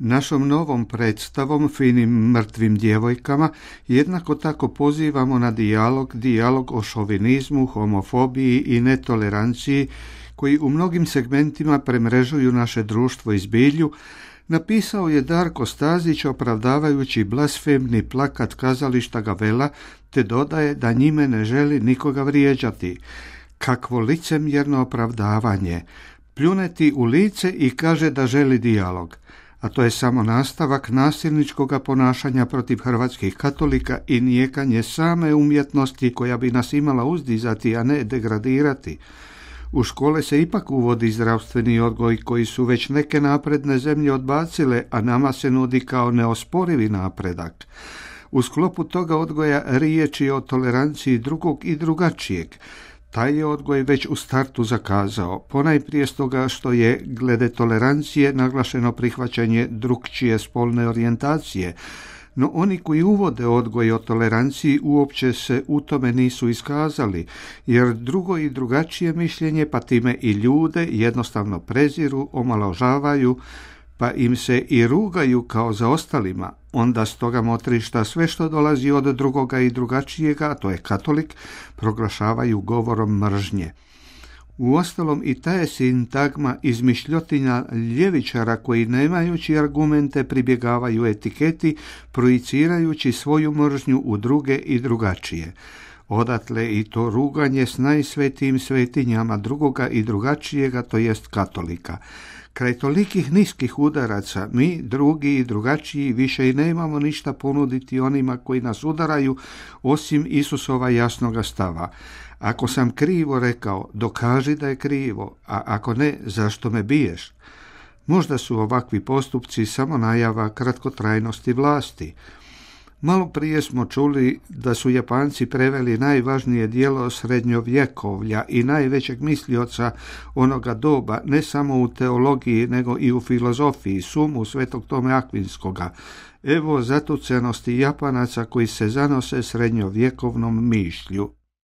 Našom novom predstavom Finim mrtvim djevojkama jednako tako pozivamo na dijalog o šovinizmu, homofobiji i netoleranciji koji u mnogim segmentima premrežuju naše društvo i zbilju, napisao je Darko Stazić opravdavajući blasfemni plakat kazališta Gavela, te dodaje da njime ne želi nikoga vrijeđati. Kakvo licemjerno opravdavanje! Pljune ti u lice i kaže da želi dijalog. A to je samo nastavak nasilničkoga ponašanja protiv hrvatskih katolika i nijekanje same umjetnosti koja bi nas imala uzdizati, a ne degradirati. U škole se ipak uvodi zdravstveni odgoj koji su već neke napredne zemlje odbacile, a nama se nudi kao neosporivi napredak. U sklopu toga odgoja riječ je o toleranciji drugog i drugačijeg. Taj je odgoj već u startu zakazao, ponajprije stoga što je glede tolerancije naglašeno prihvaćanje drukčije spolne orijentacije, no oni koji uvode odgoj o toleranciji uopće se u tome nisu iskazali, jer drugo i drugačije mišljenje, pa time i ljude, jednostavno preziru, omalovažavaju, pa im se i rugaju kao za ostalima. Onda s toga motrišta sve što dolazi od drugoga i drugačijega, a to je katolik, proglašavaju govorom mržnje. Uostalom i ta je sintagma izmišljotinja ljevičara koji nemajući argumente pribjegavaju etiketi, projicirajući svoju mržnju u druge i drugačije. Odatle i to ruganje s najsvetijim svetinjama drugoga i drugačijega, to jest katolika. Kraj tolikih niskih udaraca mi, drugi i drugačiji, više i nemamo ništa ponuditi onima koji nas udaraju, osim Isusova jasnoga stava. Ako sam krivo rekao, dokaži da je krivo, a ako ne, zašto me biješ? Možda su ovakvi postupci samo najava kratkotrajnosti vlasti. Malo prije smo čuli da su Japanci preveli najvažnije dijelo srednjovjekovlja i najvećeg mislioca onoga doba, ne samo u teologiji, nego i u filozofiji, Sumu Svetog Tome Akvinskoga. Evo zatucenosti Japanaca koji se zanose srednjovjekovnom mišlju.